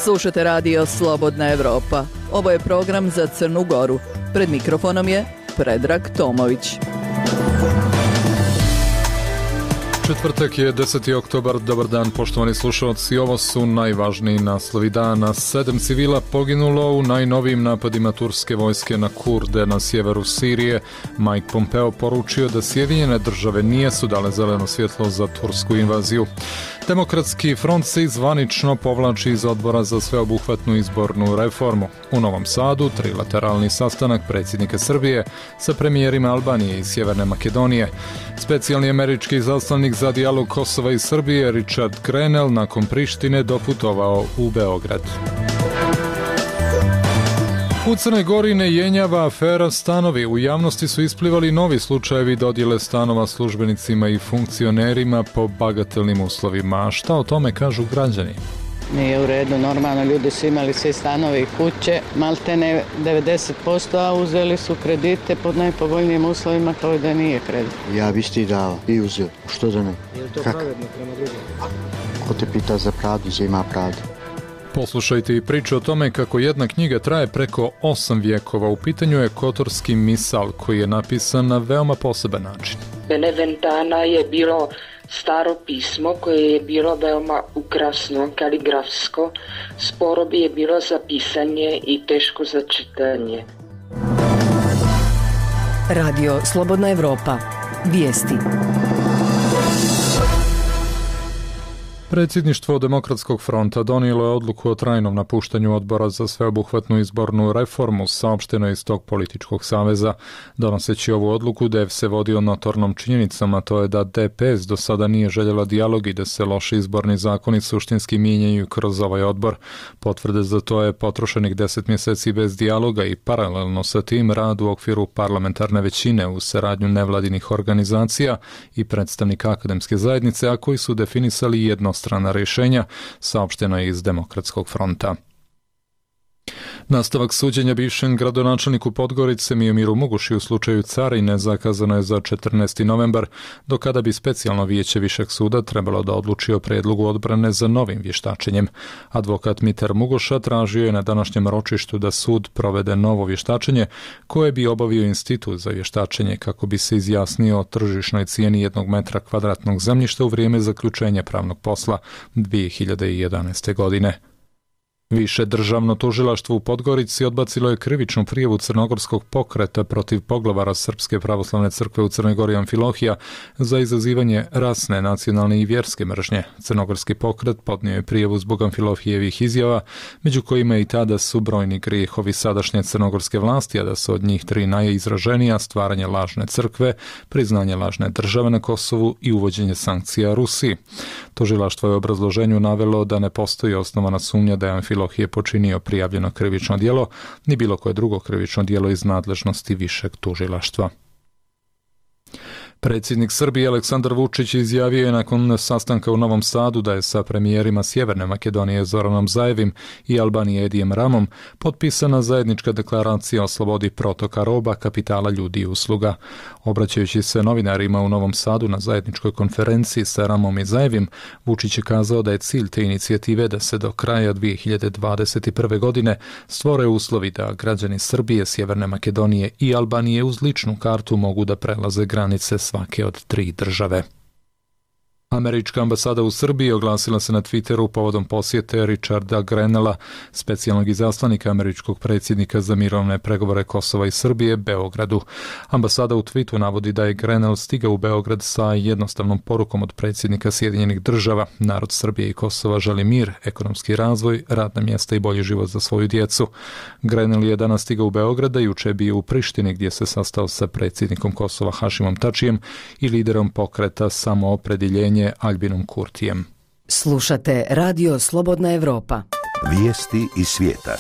Slušate radio Slobodna Evropa. Ovo je program za Crnu Goru. Pred mikrofonom je Predrag Tomović. Četvrtak je 10. oktobar, dobar dan poštovani slušalci, ovo su najvažniji naslovi dana. 7 civila poginulo u najnovijim napadima turske vojske na Kurde na sjeveru Sirije. Mike Pompeo poručio da Sjedinjene države nisu dale zeleno svjetlo za tursku invaziju. Demokratski front se zvanično povlači iz odbora za sveobuhvatnu izbornu reformu. U Novom Sadu trilateralni sastanak predsjednika Srbije sa premijerima Albanije i Sjeverne Makedonije. Specijalni američki izaslanik za dijalog Kosova i Srbije Richard Grenell nakon Prištine doputovao u Beograd. U Crnoj Gori ne jenjava afera stanovi. U javnosti su isplivali novi slučajevi dodjele stanova službenicima i funkcionerima po bagatelnim uslovima. A šta o tome kažu građani? Nije u redu, normalno, ljudi su imali sve stanove i kuće, maltene 90%, a uzeli su kredite pod najpovoljnijim uslovima kao da nije kredit. Ja bi isti dao i uzeo, što da ne? Je li to pravedno prema drugom? Ko te pita za pravdu, za ima pravdu. Poslušajte i priču o tome kako jedna knjiga traje preko 8 vijekova. U pitanju je Kotorski misal koji je napisan na veoma poseban način. Beneventana je bilo staro pismo koje je bilo veoma ukrasno, kaligrafsko, sporo bi je bilo za pisanje i teško za čitanje. Radio Slobodna Evropa. Vijesti. Predsjedništvo Demokratskog fronta donijelo je odluku o trajnom napuštanju odbora za sveobuhvatnu izbornu reformu, saopšteno je iz tog političkog saveza. Donoseći ovu odluku, DEV se vodio notornom činjenicom, a to je da DPS do sada nije željela dijalog i da se loši izborni zakoni suštinski mijenjaju kroz ovaj odbor. Potvrde za to je potrošenih 10 mjeseci bez dijaloga i paralelno sa tim rad u okviru parlamentarne većine u saradnju nevladinih organizacija i predstavnika akademske zajednice, a koji su definisali jednostrana rješenja, saopšteno je iz Demokratskog fronta. Nastavak suđenja bivšem gradonačelniku Podgorice Miomiru Muguši u slučaju Carine zakazano je za 14. novembar, do kada bi specijalno vijeće Višeg suda trebalo da odluči o prijedlogu odbrane za novim vještačenjem. Advokat Mitar Mugoša tražio je na današnjem ročištu da sud provede novo vještačenje koje bi obavio institut za vještačenje kako bi se izjasnio o tržišnoj cijeni 1 metra kvadratnog zemljišta u vrijeme zaključenja pravnog posla 2011. godine. Više državno tužilaštvo u Podgorici odbacilo je krivičnu prijavu crnogorskog pokreta protiv poglavara Srpske pravoslavne crkve u Crnoj Gori Amfilohija za izazivanje rasne, nacionalne i vjerske mržnje. Crnogorski pokret podnio je prijavu zbog Amfilohijevih izjava, među kojima i tada su brojni grijehovi sadašnje crnogorske vlasti, a da su od njih 3 najizraženija: stvaranje lažne crkve, priznanje lažne države na Kosovu i uvođenje sankcija Rusiji. Tužilaštvo je u obrazloženju navelo da ne postoji osnovana sumnja da je Amfilohije počinio prijavljeno krivično djelo, ni bilo koje drugo krivično djelo iz nadležnosti višeg tužilaštva. Predsjednik Srbije Aleksandar Vučić izjavio je nakon sastanka u Novom Sadu da je sa premijerima Sjeverne Makedonije Zoranom Zaevim i Albanije Edijem Ramom potpisana zajednička deklaracija o slobodi protoka roba, kapitala, ljudi i usluga. Obraćajući se novinarima u Novom Sadu na zajedničkoj konferenciji sa Ramom i Zaevim, Vučić je kazao da je cilj te inicijative da se do kraja 2021. godine stvore uslovi da građani Srbije, Sjeverne Makedonije i Albanije uz ličnu kartu mogu da prelaze granice svake od 3 države. Američka ambasada u Srbiji oglasila se na Twitteru povodom posjete Richarda Grenella, specijalnog izaslanika američkog predsjednika za mirovne pregovore Kosova i Srbije, Beogradu. Ambasada u tweetu navodi da je Grenell stigao u Beograd sa jednostavnom porukom od predsjednika Sjedinjenih država: narod Srbije i Kosova želi mir, ekonomski razvoj, radna mjesta i bolji život za svoju djecu. Grenell je danas stigao u Beograd, a juče je bio u Prištini gdje se sastao sa predsjednikom Kosova Hašimom Tačijem i liderom pokreta Samoopredjeljenje Albinom Kurtijem. Slušate Radio Slobodna Evropa. Vijesti iz svijeta.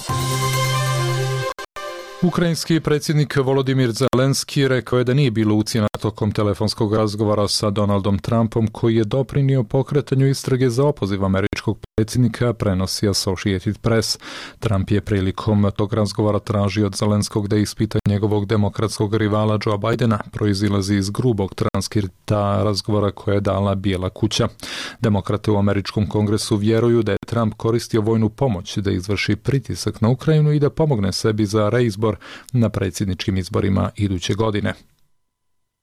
Ukrajinski predsjednik Volodimir Zelenski rekao je da nije bilo ucjena tokom telefonskog razgovora sa Donaldom Trumpom, koji je doprinio pokretanju istrage za opoziv američkog predsjednika, prenosi Associated Press. Trump je prilikom tog razgovora tražio od Zelenskog da ispita njegovog demokratskog rivala Joe Bidena, proizilazi iz grubog transkripta razgovora koje je dala Bijela kuća. Demokrate u američkom kongresu vjeruju da je Trump koristio vojnu pomoć da izvrši pritisak na Ukrajinu i da pomogne sebi za reizbor na predsjedničkim izborima iduće godine.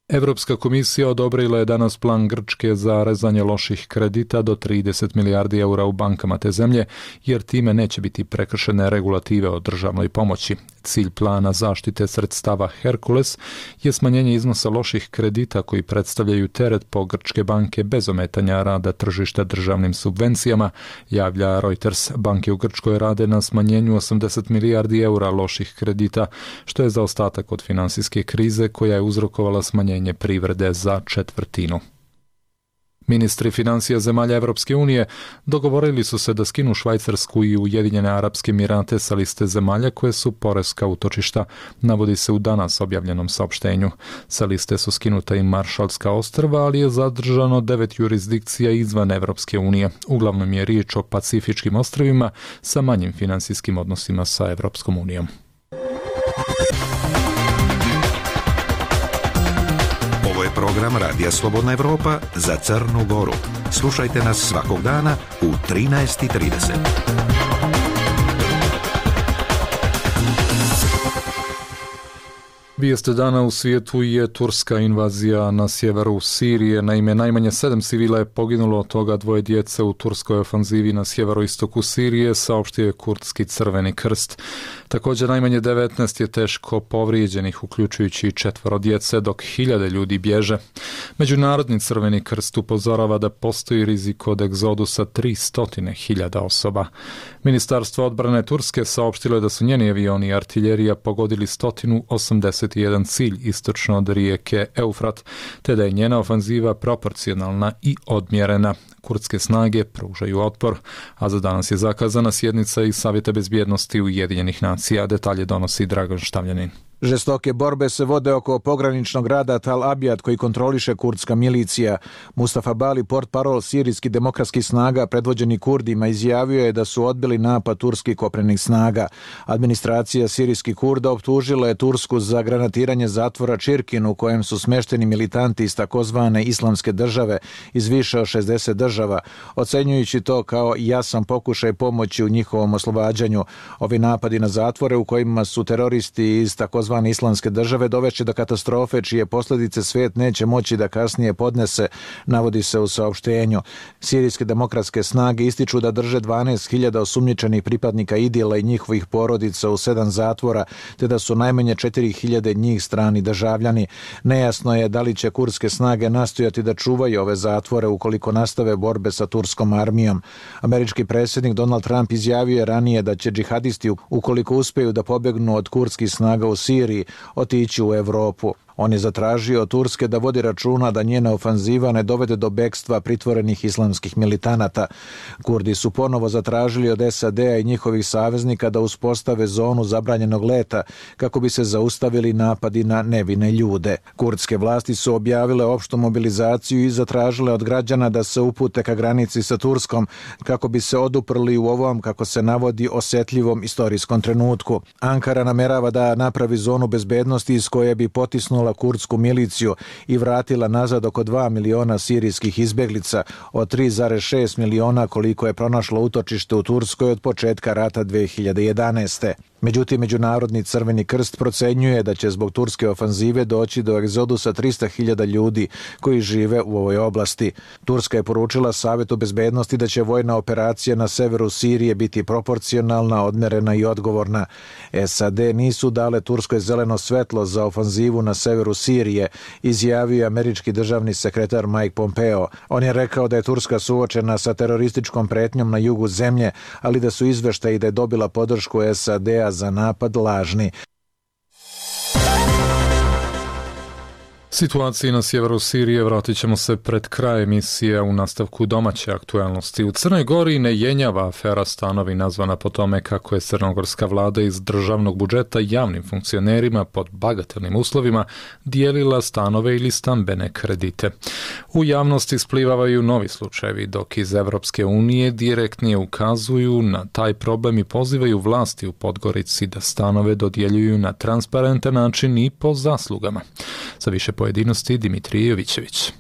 Europska komisija odobrila je danas plan Grčke za rezanje loših kredita do 30 milijardi eura u bankama te zemlje, jer time neće biti prekršene regulative o državnoj pomoći. Cilj plana zaštite sredstava Herkules je smanjenje iznosa loših kredita koji predstavljaju teret po grčke banke bez ometanja rada tržišta državnim subvencijama, javlja Reuters. Banke u Grčkoj rade na smanjenju 80 milijardi eura loših kredita, što je zaostatak od financijske krize koja je uzrokovala smanjenje privrede za četvrtinu. Ministri financija zemalja Evropske unije dogovorili su se da skinu Švajcarsku i Ujedinjene Arapske Emirate sa liste zemalja koje su poreska utočišta, navodi se u danas objavljenom saopštenju. Sa liste su skinuta i Maršalska ostrva, ali je zadržano 9 jurisdikcija izvan Evropske unije. Uglavnom je riječ o pacifičkim ostrvima sa manjim financijskim odnosima sa Evropskom unijom. Program Radija Slobodna Evropa za Crnu Goru. Slušajte nas svakog dana u 13:30. Vijest dana u svijetu je turska invazija na sjeveru Sirije. Naime, najmanje 7 civila je poginulo, od toga 2 djece u turskoj ofanzivi na sjeveroistoku Sirije, saopštio je kurdski Crveni krst. Također najmanje 19 je teško povrijeđenih, uključujući 4 djece, dok 1000 ljudi bježe. Međunarodni Crveni krst upozorava da postoji rizik od egzodusa 300.000 osoba. Ministarstvo odbrane Turske saopštilo je da su njeni avioni i artiljerija pogodili 181 cilj istočno od rijeke Eufrat, te da je njena ofanziva proporcionalna i odmjerena. Kurdske snage pružaju otpor, a za danas je zakazana sjednica i Savjeta bezbjednosti Ujedinjenih nacija. Detalje donosi Dragan Štavljanin. Žestoke borbe se vode oko pograničnog grada Tal Abjad koji kontroliše kurdska milicija. Mustafa Bali, portparol sirijskih demokratskih snaga predvođeni Kurdima, izjavio je da su odbili napad turskih kopnenih snaga. Administracija sirijskih Kurda optužila je Tursku za granatiranje zatvora Čirkin u kojem su smešteni militanti iz takozvane islamske države iz više od 60 država, ocenjujući to kao jasan pokušaj pomoći u njihovom oslobađanju. Ovi napadi na zatvore u kojima su teroristi iz takozvane islamske države dovešće do katastrofe čije posljedice svijet neće moći da kasnije podnese, navodi se u saopštenju. Sirijske demokratske snage ističu da drže 12.000 osumnjičenih pripadnika IDIL-a i njihovih porodica u 7 zatvora, te da su najmanje 4.000 njih strani državljani. Nejasno je da li će kurdske snage nastojati da čuvaju ove zatvore ukoliko nastave borbe sa turskom armijom. Američki predsjednik Donald Trump izjavio je ranije da će džihadisti, ukoliko uspiju da pobjegnu od kurdskih snaga u Siriji, otići u Europu. On je zatražio od Turske da vodi računa da njena ofanziva ne dovede do bekstva pritvorenih islamskih militanata. Kurdi su ponovo zatražili od SAD-a i njihovih saveznika da uspostave zonu zabranjenog leta kako bi se zaustavili napadi na nevine ljude. Kurdske vlasti su objavile opštu mobilizaciju i zatražile od građana da se upute ka granici sa Turskom kako bi se oduprli u ovom, kako se navodi, osjetljivom istorijskom trenutku. Ankara namerava da napravi zonu bezbednosti iz koje bi potisnula kurdsku miliciju i vratila nazad oko 2 miliona sirijskih izbjeglica od 3,6 miliona koliko je pronašlo utočište u Turskoj od početka rata 2011. Međutim, Međunarodni Crveni krst procenjuje da će zbog turske ofanzive doći do egzodusa 300.000 ljudi koji žive u ovoj oblasti. Turska je poručila Savjetu bezbednosti da će vojna operacija na severu Sirije biti proporcionalna, odmerena i odgovorna. SAD nisu dale Turskoj zeleno svetlo za ofanzivu na severu Sirije, izjavio je američki državni sekretar Mike Pompeo. On je rekao da je Turska suočena sa terorističkom pretnjom na jugu zemlje, ali da su izveštaji da je dobila podršku SAD-a za napad lažni. Situaciji na sjeveru Sirije vratit ćemo se pred kraj emisije u nastavku domaće aktualnosti. U Crnoj Gori ne jenjava afera stanovi nazvana po tome kako je crnogorska vlada iz državnog budžeta javnim funkcionerima pod bagatelnim uslovima dijelila stanove ili stambene kredite. U javnosti isplivavaju novi slučajevi, dok iz Evropske unije direktnije ukazuju na taj problem i pozivaju vlasti u Podgorici da stanove dodjeljuju na transparentan način i po zaslugama. Sa više pojedinosti Dimitrije Jovićević.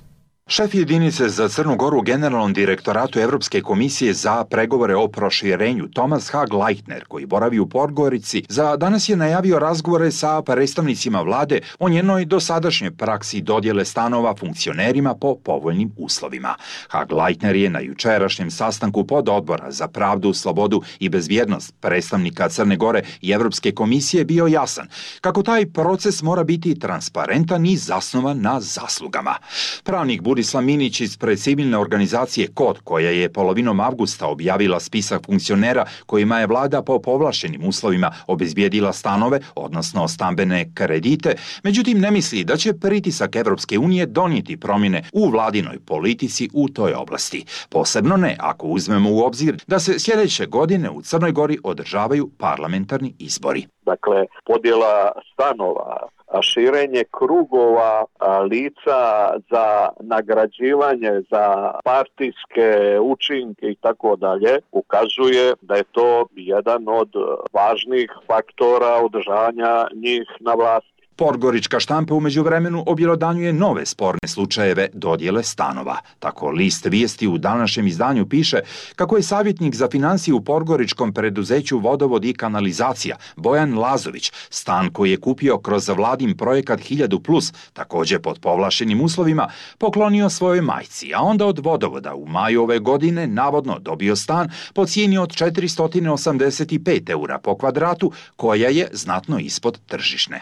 Šef jedinice za Crnu Goru u Generalnom direktoratu Evropske komisije za pregovore o proširenju Thomas Hag-Leitner, koji boravi u Podgorici, za danas je najavio razgovore sa predstavnicima vlade o njenoj dosadašnjoj praksi dodjele stanova funkcionerima po povoljnim uslovima. Hag-Leitner je na jučerašnjem sastanku pododbora za pravdu, slobodu i bezbjednost predstavnika Crne Gore i Evropske komisije bio jasan kako taj proces mora biti transparentan i zasnovan na zaslugama. Pravnik Burislav Minić ispred civilne organizacije KOD, koja je polovinom avgusta objavila spisak funkcionera kojima je vlada po povlaštenim uslovima obezbijedila stanove, odnosno stambene kredite, međutim ne misli da će pritisak Evropske unije donijeti promjene u vladinoj politici u toj oblasti. Posebno ne ako uzmemo u obzir da se sljedeće godine u Crnoj Gori održavaju parlamentarni izbori. Dakle, podjela stanova, širenje krugova lica za nagrađivanje, za partijske učinke i tako dalje, ukazuje da je to jedan od važnih faktora održavanja njih na vlasti. Podgorička štampa u međuvremenu objelodanjuje nove sporne slučajeve dodjele stanova. Tako list vijesti u današnjem izdanju piše kako je savjetnik za financije u podgoričkom preduzeću Vodovod i kanalizacija Bojan Lazović stan koji je kupio kroz vladin projekat 1000+, također pod povlaštenim uslovima, poklonio svojoj majci, a onda od Vodovoda u maju ove godine navodno dobio stan po cijeni od 485 eura po kvadratu, koja je znatno ispod tržišne.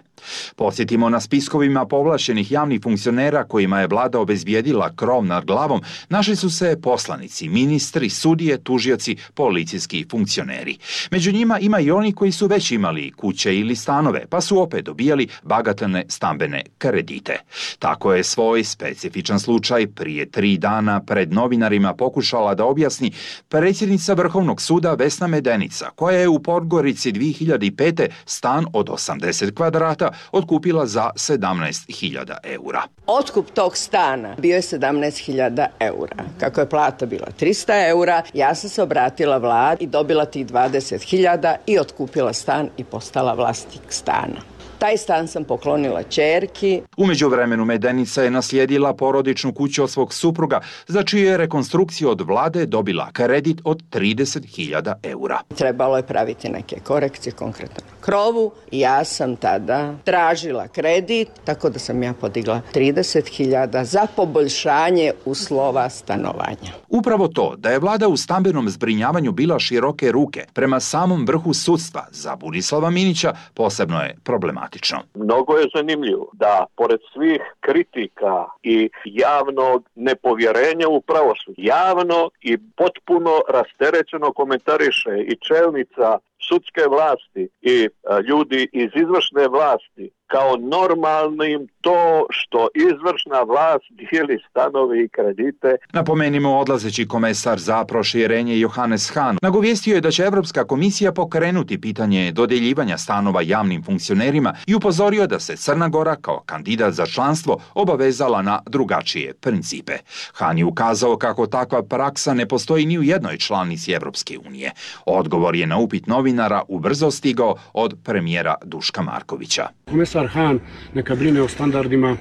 Podsjetimo, na spiskovima povlaštenih javnih funkcionera kojima je vlada obezbijedila krov nad glavom našli su se poslanici, ministri, sudije, tužioci, policijski funkcioneri. Među njima ima i oni koji su već imali kuće ili stanove, pa su opet dobijali bagatelne stambene kredite. Tako je svoj specifičan slučaj prije 3 dana pred novinarima pokušala da objasni predsjednica Vrhovnog suda Vesna Medenica, koja je u Podgorici 2005. stan od 80 kvadrata otkupila za 17.000 eura. Otkup tog stana bio je 17.000 eura. Kako je plata bila 300 eura, ja sam se obratila vladi i dobila tih 20.000 i otkupila stan i postala vlasnik stana. Taj stan sam poklonila ćerki. U međuvremenu Medenica je naslijedila porodičnu kuću od svog supruga, za čiju je rekonstrukciju od vlade dobila kredit od 30.000 eura. Trebalo je praviti neke korekcije, konkretno na krovu. Ja sam tada tražila kredit, tako da sam ja podigla 30.000 za poboljšanje uslova stanovanja. Upravo to, da je vlada u stambenom zbrinjavanju bila široke ruke prema samom vrhu sudstva, za Burislava Minića posebno je problematično. Mnogo je zanimljivo da, pored svih kritika i javnog nepovjerenja u pravosuđe, javno i potpuno rasterećeno komentariše i čelnica sudske vlasti i ljudi iz izvršne vlasti kao normalnim to što izvršna vlast dijeli stanove i kredite. Napomenimo, odlazeći komesar za proširenje Johannes Hahn nagovijestio je da će Evropska komisija pokrenuti pitanje dodjeljivanja stanova javnim funkcionerima i upozorio da se Crna Gora kao kandidat za članstvo obavezala na drugačije principe. Hahn je ukazao kako takva praksa ne postoji ni u jednoj članici Evropske unije. Odgovor je na upit novinara ubrzo stigao od premijera Duška Markovića. Komesar Hahn neka brine o standardima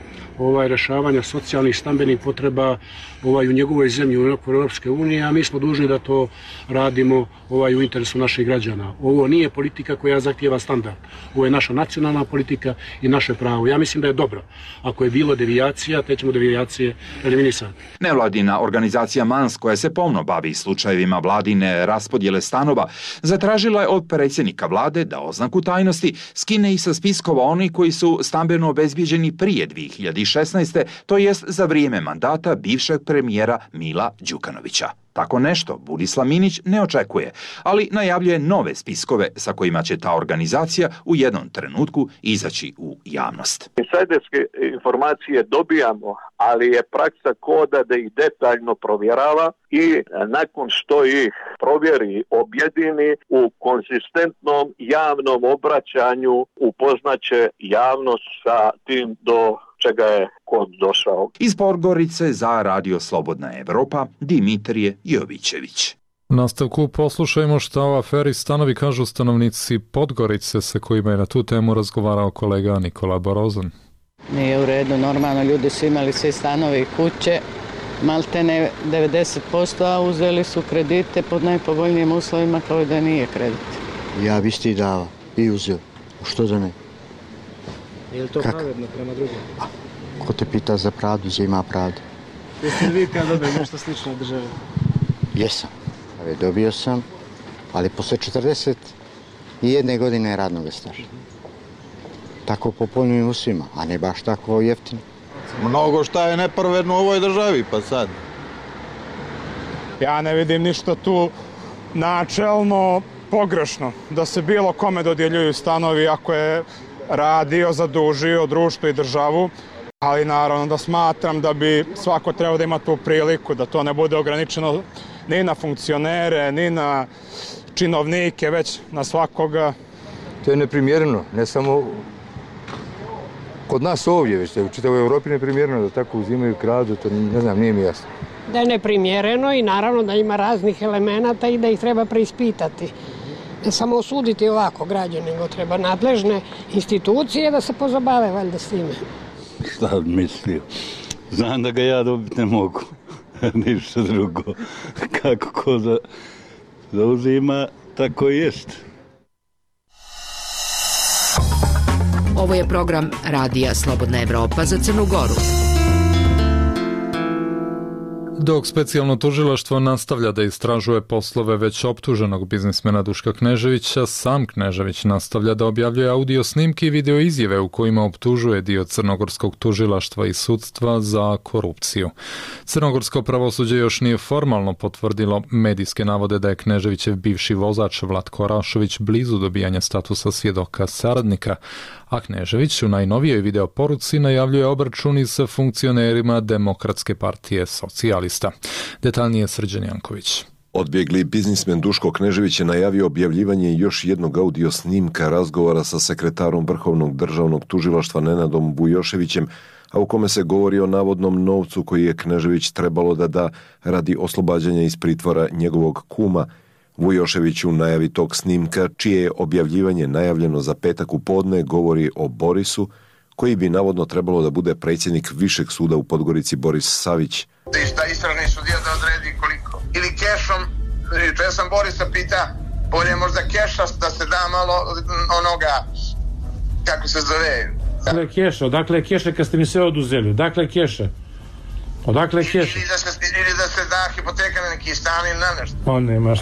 rješavanja socijalnih stambenih potreba u njegovoj zemlji u Europske unije, a mi smo dužni da to radimo u interesu naših građana. Ovo nije politika koja zahtijeva standard. Ovo je naša nacionalna politika i naše pravo. Ja mislim da je dobro. Ako je bilo devijacija, te ćemo devijacije eliminisati. Nevladina organizacija MANS, koja se pomno bavi slučajevima vladine raspodjele stanova, zatražila je od predsjednika vlade da oznaku tajnosti skine i sa spiskova oni koji su stambeno obezbijeđeni prije 2016. to jest za vrijeme mandata bivšeg premijera Mila Đukanovića. Tako nešto Burislav Minić ne očekuje, ali najavljuje nove spiskove sa kojima će ta organizacija u jednom trenutku izaći u javnost. Insajderske informacije dobijamo, ali je praksa koda da ih detaljno provjerava i nakon što ih provjeri, objedini u konzistentnom javnom obraćanju upoznaće javnost sa tim do čega je kod došao. Iz Podgorice za Radio Slobodna Evropa, Dimitrije Jovićević. U nastavku poslušajmo šta o aferi stanovi kažu stanovnici Podgorice sa kojima je na tu temu razgovarao kolega Nikola Borozan. Nije u redu, normalno ljudi su imali sve stanove i kuće, maltene 90%, a uzeli su kredite pod najpovoljnijim uslovima kao da nije kredit. Ja bi isti dao i uzeo, što da ne? Je li to pravedno prema drugim? Ko te pita za pravdu, gdje ima pravdu? Jeste li vi kad dobili nešto slično od države? Jesam, dobio sam, ali posle 41 godine radnog staža. Tako po povoljnim uslovima, a ne baš tako jeftino. Mnogo šta je nepravedno u ovoj državi, pa sad. Ja ne vidim ništa tu načelno pogrešno, da se bilo kome dodjeljuju stanovi ako je radio, zadužio društvo i državu, ali naravno da smatram da bi svako trebao da ima tu priliku, da to ne bude ograničeno ni na funkcionere, ni na činovnike, već na svakoga. To je neprimjereno, ne samo kod nas ovdje, već u čitavoj Europi neprimjereno da tako uzimaju, kradu, to ne znam, nije mi jasno. Da je neprimjereno i naravno da ima raznih elemenata i da ih treba preispitati. Ne samo osuditi ovako građane, nego treba nadležne institucije da se pozabave valjda s time. Šta mislio? Znam da ga ja dobiti ne mogu. Ništa drugo. Kako ko zauzima, tako i jest. Ovo je program Radija Slobodna Evropa za Crnu Goru. Dok specijalno tužilaštvo nastavlja da istražuje poslove već optuženog biznismena Duška Kneževića, sam Knežević nastavlja da objavljuje audio snimke i video izjave u kojima optužuje dio crnogorskog tužilaštva i sudstva za korupciju. Crnogorsko pravosuđe još nije formalno potvrdilo medijske navode da je Kneževićev bivši vozač Vlatko Rašović blizu dobijanja statusa svjedoka saradnika, a Knežević u najnovijoj video poruci najavljuje obračuni sa funkcionerima Demokratske partije socijalista. Detaljnije Srđan Janković. Odbjegli biznismen Duško Knežević je najavio objavljivanje još jednog audio snimka razgovora sa sekretarom Vrhovnog državnog tužilaštva Nenadom Bujoševićem, a u kome se govori o navodnom novcu koji je Knežević trebalo da da radi oslobađanja iz pritvora njegovog kuma. Vujošević u najavi tog snimka, čije je objavljivanje najavljeno za petak u podne, govori o Borisu, koji bi navodno trebalo da bude predsjednik Višeg suda u Podgorici Boris Savić. Da istražni sudija da odredi koliko. Ili kešom, če sam Borisa pita, bolje možda keša da se da malo onoga, kako se zove. Odakle je keša kad ste mi sve oduzeli? Odakle je keša? Odakle je keša? Ili da se da hipoteka na neki stan ili na nešto.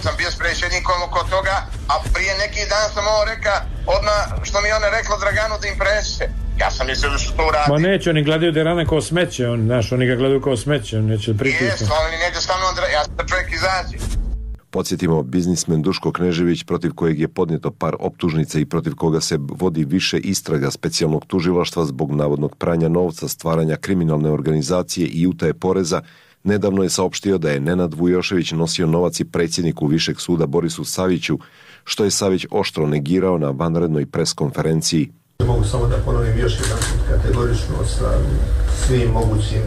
Sam bio sprečen nikom oko toga, a prije neki dan sam ovo reka, odmah što mi ona rekla Draganu da im preneše. Ja sam mislio da su to uradili. Ma neće, oni gledaju Derana kao smeće, oni ga gledaju kao smeće, oni neće pritisati. Jes, oni neće sa mnom, ja sam čovjek izađe. Podsjetimo, biznismen Duško Knežević, protiv kojeg je podnijeto par optužnica i protiv koga se vodi više istraga specijalnog tužilaštva zbog navodnog pranja novca, stvaranja kriminalne organizacije i utaje poreza, nedavno je saopštio da je Nenad Vujošević nosio novac i predsjedniku Višeg suda Borisu Saviću, što je Savić oštro negirao na vanrednoj preskonferenciji. Mogu samo da ponovim još jedan kategorično sa svim mogućim,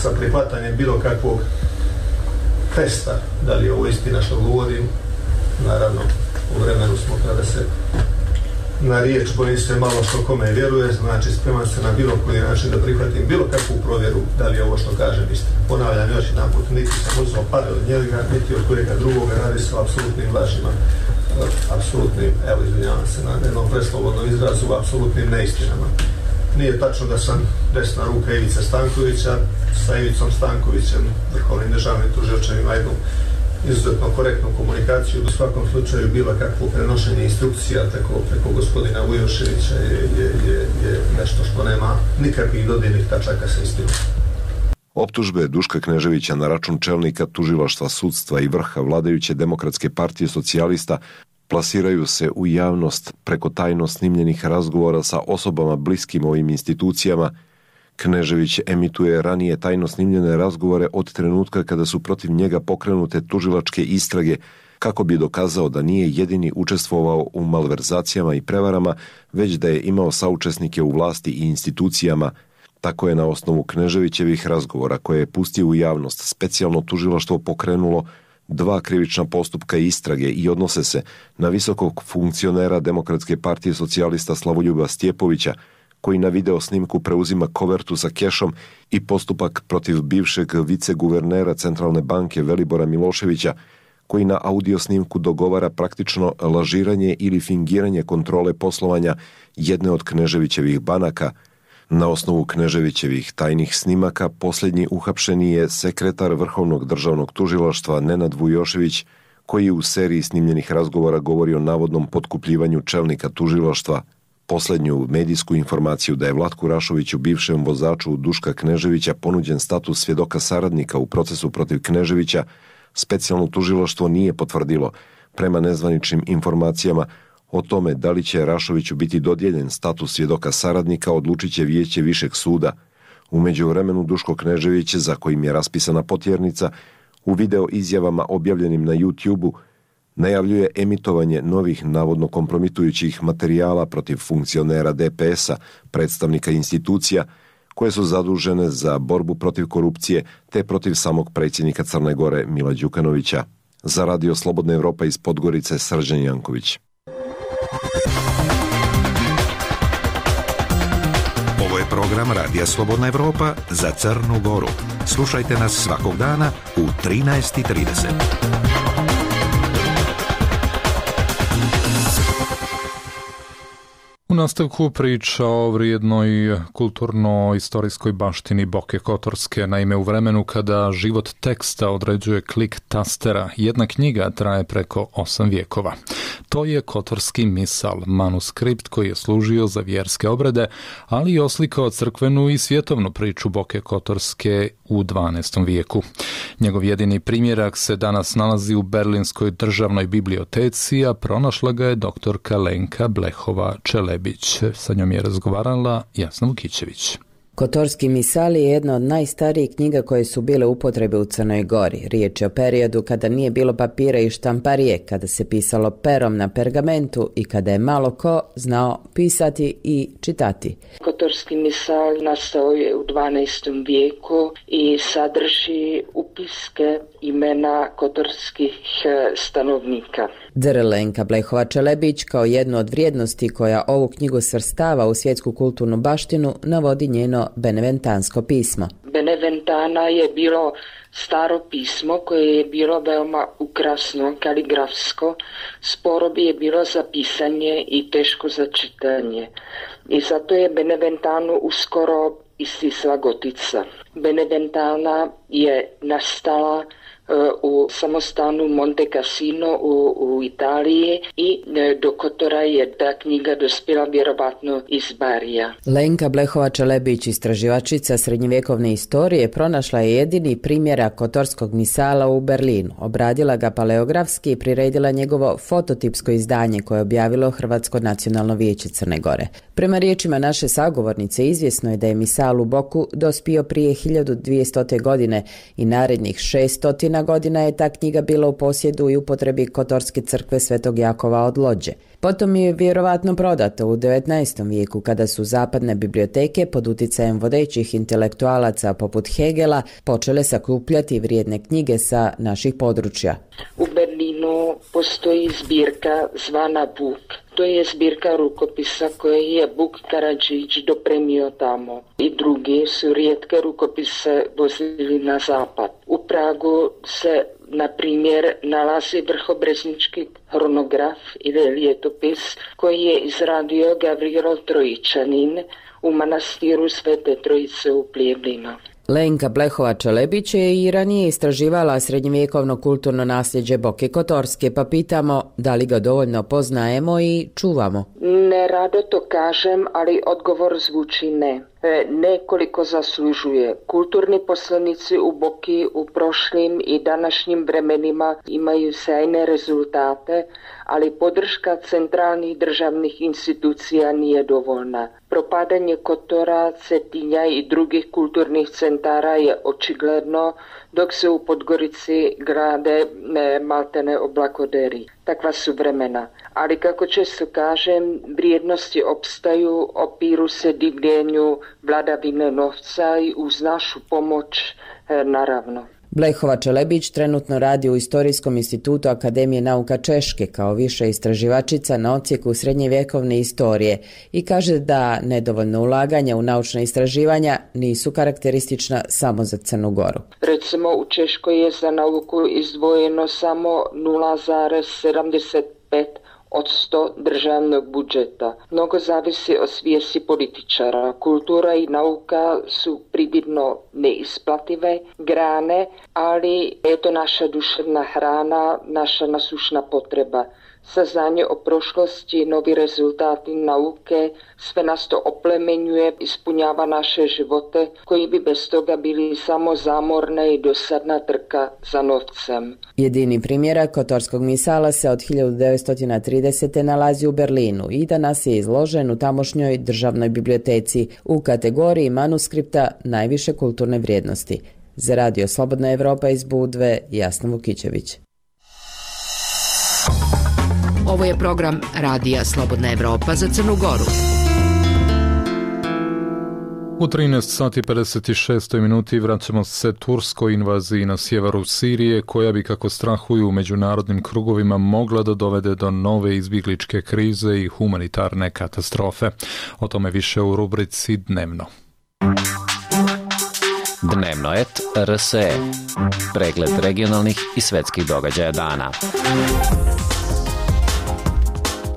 sa prihvatanjem bilo kakvog testa, da li je ovo istina što govorim. Naravno, u vremenu smo kada se na riječ bojim se malo što kome vjeruje, znači spreman se na bilo koji način da prihvatim bilo kakvu provjeru da li je ovo što kažem istina. Ponavljam još jedan put, niti sam uzeo pare od njega, niti od kojega drugoga, radi se o apsolutnim lažima, apsolutnim, evo izvinjavam se na jednom preslobodnom izrazu, apsolutnim neistinama. Nije tačno da sam desna ruka Ivice Stankovića, sa Ivicom Stankovićem, vrhovnim državnim tužilačem, ima jednu izuzetno korektnu komunikaciju, u svakom slučaju bilo kakvo prenošenje instrukcija preko gospodina Vujoševića je nešto što nema nikakvih dodirnih tačaka sa istinom. Optužbe Duška Kneževića na račun čelnika tužilaštva, sudstva i vrha vladajuće Demokratske partije socijalista plasiraju se u javnost preko tajno snimljenih razgovora sa osobama bliskim ovim institucijama. Knežević emituje ranije tajno snimljene razgovore od trenutka kada su protiv njega pokrenute tužilačke istrage, kako bi dokazao da nije jedini učestvovao u malverzacijama i prevarama, već da je imao saučesnike u vlasti i institucijama. Tako je na osnovu Kneževićevih razgovora koje je pustio u javnost specijalno tužilaštvo pokrenulo 2 krivična postupka istrage i odnose se na visokog funkcionera Demokratske partije socijalista Slavoljuba Stjepovića, koji na video snimku preuzima kovertu sa kešom, i postupak protiv bivšeg viceguvernera Centralne banke Velibora Miloševića, koji na audio snimku dogovara praktično lažiranje ili fingiranje kontrole poslovanja jedne od Kneževićevih banaka. Na osnovu Kneževićevih tajnih snimaka posljednji uhapšeni je sekretar Vrhovnog državnog tužilaštva Nenad Vujošević, koji u seriji snimljenih razgovora govori o navodnom potkupljivanju čelnika tužilaštva. Posljednju medijsku informaciju da je Vlatku Rašoviću, bivšem vozaču Duška Kneževića, ponuđen status svjedoka saradnika u procesu protiv Kneževića, specijalno tužilaštvo nije potvrdilo. Prema nezvaničnim informacijama o tome da li će Rašoviću biti dodijeljen status svjedoka saradnika odlučit će vijeće Višeg suda. U međuvremenu Duško Knežević, za kojim je raspisana potjernica, u video izjavama objavljenim na YouTube-u najavljuje emitovanje novih navodno kompromitujućih materijala protiv funkcionera DPS-a, predstavnika institucija koje su zadužene za borbu protiv korupcije te protiv samog predsjednika Crne Gore Mila Đukanovića. Za Radio Slobodna Evropa iz Podgorice, Srđan Janković. Ovo je program Radija Slobodna Evropa za Crnu Goru. Slušajte nas svakog dana u 13:30. U nastavku priča o vrijednoj kulturno-istorijskoj baštini Boke Kotorske. Naime, u vremenu kada život teksta određuje klik tastera, jedna knjiga traje preko 8 vijekova. To je Kotorski misal, manuskript koji je služio za vjerske obrede, ali i oslikao crkvenu i svjetovnu priču Boke Kotorske u 12. vijeku. Njegov jedini primjerak se danas nalazi u Berlinskoj državnoj biblioteci, a pronašla ga je doktorka Lenka Blehova-Čelebić. Sa njom je razgovarala Jasna Vukićević. Kotorski misal je jedna od najstarijih knjiga koje su bile u upotrebi u Crnoj Gori. Riječ je o periodu kada nije bilo papira i štamparije, kada se pisalo perom na pergamentu i kada je malo ko znao pisati i čitati. Kotorski misal nastao je u 12. vijeku i sadrži upiske imena kotorskih stanovnika. Lenka Blehova-Čelebić kao jednu od vrijednosti koja ovu knjigu svrstava u svjetsku kulturnu baštinu navodi njeno beneventansko pismo. Beneventana je bilo staro pismo koje je bilo veoma ukrasno, kaligrafsko, sporo bi je bilo za pisanje i teško za čitanje. I zato je Beneventanu uskoro istisla gotica. Beneventana je nastala u samostanu Monte Cassino u Italiji i do Kotora je ta knjiga dospjela vjerovatno iz Barija. Lenka Blehova-Čelebić, istraživačica srednjevjekovne istorije, pronašla je jedini primjerak kotorskog misala u Berlinu. Obradila ga paleografski i priredila njegovo fototipsko izdanje koje je objavilo Hrvatsko nacionalno vijeće Crne Gore. Prema riječima naše sagovornice, izvjesno je da je misal u Boku dospio prije 1200. godine i narednih 600 godina je ta knjiga bila u posjedu i upotrebi Kotorske crkve Svetog Jakova od Lođe. Potom je vjerovatno prodata u 19. vijeku kada su zapadne biblioteke pod utjecajem vodećih intelektualaca poput Hegela počele sakupljati vrijedne knjige sa naših područja. U Berlinu postoji zbirka zvana Buk. To je zbirka rukopisa koje je Buk Karadžić dopremio tamo. I drugi su rijetke rukopise vozili na zapad. U Pragu se, na primjer, nalazi vrhobreznički hronograf ili ljetopis koji je izradio Gavrilo Trojičanin u manastiru Svete Trojice u Pljevljinu. Lenka Blehova-Čelebić je i ranije istraživala srednjevjekovno kulturno nasljeđe Boke Kotorske, pa pitamo da li ga dovoljno poznajemo i čuvamo. Ne rado to kažem, ali odgovor zvuči ne. nekoliko zaslužuje. Kulturni poslanici u Boki u prošlim i današnjim vremenima imaju sjajne rezultate, ali podrška centralnih državnih institucija nije dovoljna. Propadanje Kotora, Cetinja i drugih kulturnih centara je očigledno, dok se u Podgorici grade maltene oblakoderi. Takva su vremena. Ali kako često kažem, vrijednosti opstaju, opiru se divljenju vladavine novca i uz našu pomoć naravno. Blehova Čelebić trenutno radi u Istorijskom institutu Akademije nauka Češke kao viša istraživačica na odsjeku srednjevjekovne istorije i kaže da nedovoljno ulaganja u naučna istraživanja nisu karakteristična samo za Crnu Goru. Recimo u Češkoj je za nauku izdvojeno samo 0,75% od 100 državnog budžeta. Mnogo zavisi od svijesti političara. Kultura i nauka su prividno neisplative grane, ali je to naša duševna hrana, naša nasušna potreba. Saznanje o prošlosti, novi rezultati nauke, sve nas to oplemenjuje, ispunjava naše živote koji bi bez toga bili samo zamorna i dosadna trka za novcem. Jedini primjerak Kotorskog misala se od 1930. nalazi u Berlinu i danas je izložen u tamošnjoj državnoj biblioteci u kategoriji manuskripta najviše kulturne vrijednosti. Za Radio Slobodna Evropa iz Budve, Jasna Vukićević. Ovo je program Radija Slobodna Evropa za Crnu Goru. U 13 sati 56 minuti vraćamo se turskoj invaziji na sjeveru Sirije, koja bi, kako strahuju u međunarodnim krugovima, mogla da dovede do nove izbjegličke krize i humanitarne katastrofe. O tome više u rubrici Dnevno. Dnevnoet RSE. Pregled regionalnih i svetskih događaja dana.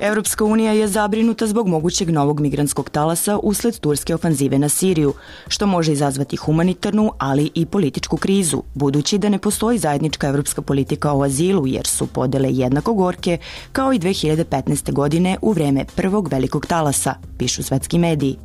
Evropska unija je zabrinuta zbog mogućeg novog migrantskog talasa usled turske ofanzive na Siriju, što može izazvati humanitarnu, ali i političku krizu, budući da ne postoji zajednička evropska politika o azilu, jer su podele jednako gorke kao i 2015. godine u vreme prvog velikog talasa, pišu svetski mediji.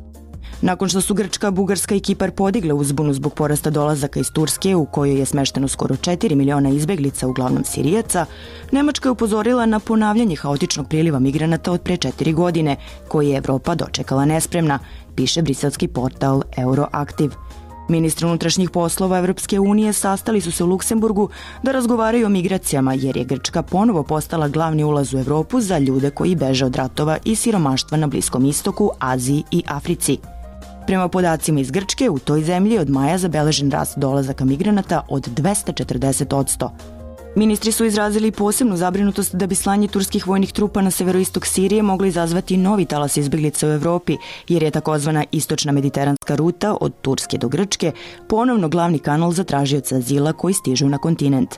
Nakon što su Grčka, Bugarska i Kipar podigle uzbunu zbog porasta dolazaka iz Turske, u kojoj je smešteno skoro 4 miliona izbeglica, uglavnom Sirijaca, Nemačka je upozorila na ponavljanje haotičnog priliva migranata od pre 4 godine, koji je Evropa dočekala nespremna, piše briselski portal Euroaktiv. Ministri unutrašnjih poslova Evropske unije sastali su se u Luksemburgu da razgovaraju o migracijama, jer je Grčka ponovo postala glavni ulaz u Evropu za ljude koji beže od ratova i siromaštva na Bliskom istoku, Aziji i Africi. Prema podacima iz Grčke, u toj zemlji od maja zabeležen rast dolazaka migranata od 240%. Ministri su izrazili posebnu zabrinutost da bi slanje turskih vojnih trupa na severoistok Sirije moglo izazvati novi talas izbeglica u Evropi, jer je takozvana istočna mediteranska ruta od Turske do Grčke ponovno glavni kanal za tražioce azila koji stižu na kontinent.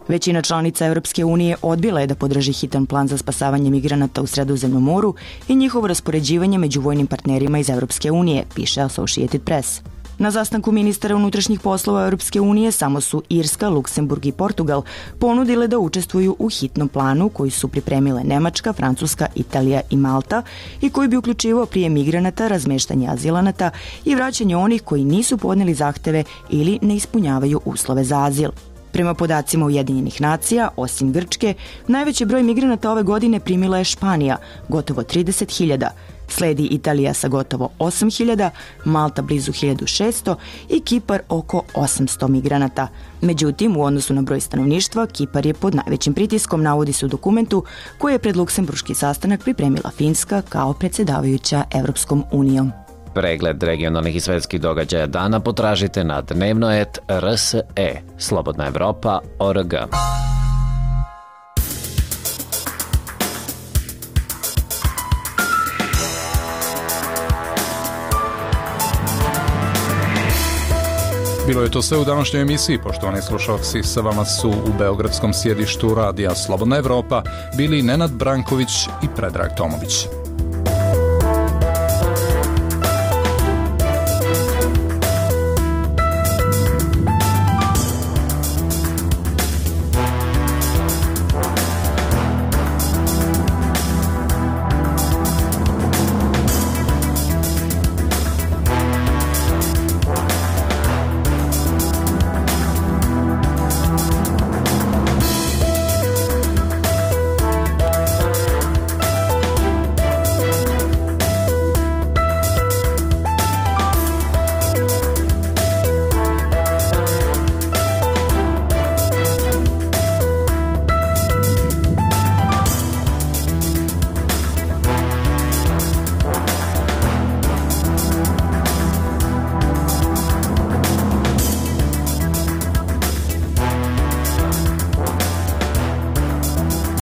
Većina članica Evropske unije odbila je da podrži hitan plan za spasavanje migranata u Sredozemnom moru i njihovo raspoređivanje među vojnim partnerima iz Evropske unije, piše Associated Press. Na sastanku ministara unutrašnjih poslova Europske unije samo su Irska, Luksemburg i Portugal ponudile da učestvuju u hitnom planu koji su pripremile Nemačka, Francuska, Italija i Malta i koji bi uključivao prijem migranata, razmeštanje azilanata i vraćanje onih koji nisu podneli zahteve ili ne ispunjavaju uslove za azil. Prema podacima Ujedinjenih nacija, osim Grčke, najveći broj migranata ove godine primila je Španija, gotovo 30.000, sledi Italija sa gotovo 8.000, Malta blizu 1.600 i Kipar oko 800 migranata. Međutim, u odnosu na broj stanovništva, Kipar je pod najvećim pritiskom, navodi se u dokumentu koji je pred luksemburški sastanak pripremila Finska kao predsjedavajuća Evropskom unijom. Pregled regionalnih i svetskih događaja dana potražite na Dnevnoet RSE, Slobodna Evropa.org. Bilo je to sve u današnjoj emisiji, poštovani slušalci. Sa vama su u beogradskom sjedištu Radija Slobodna Evropa bili Nenad Branković i Predrag Tomović.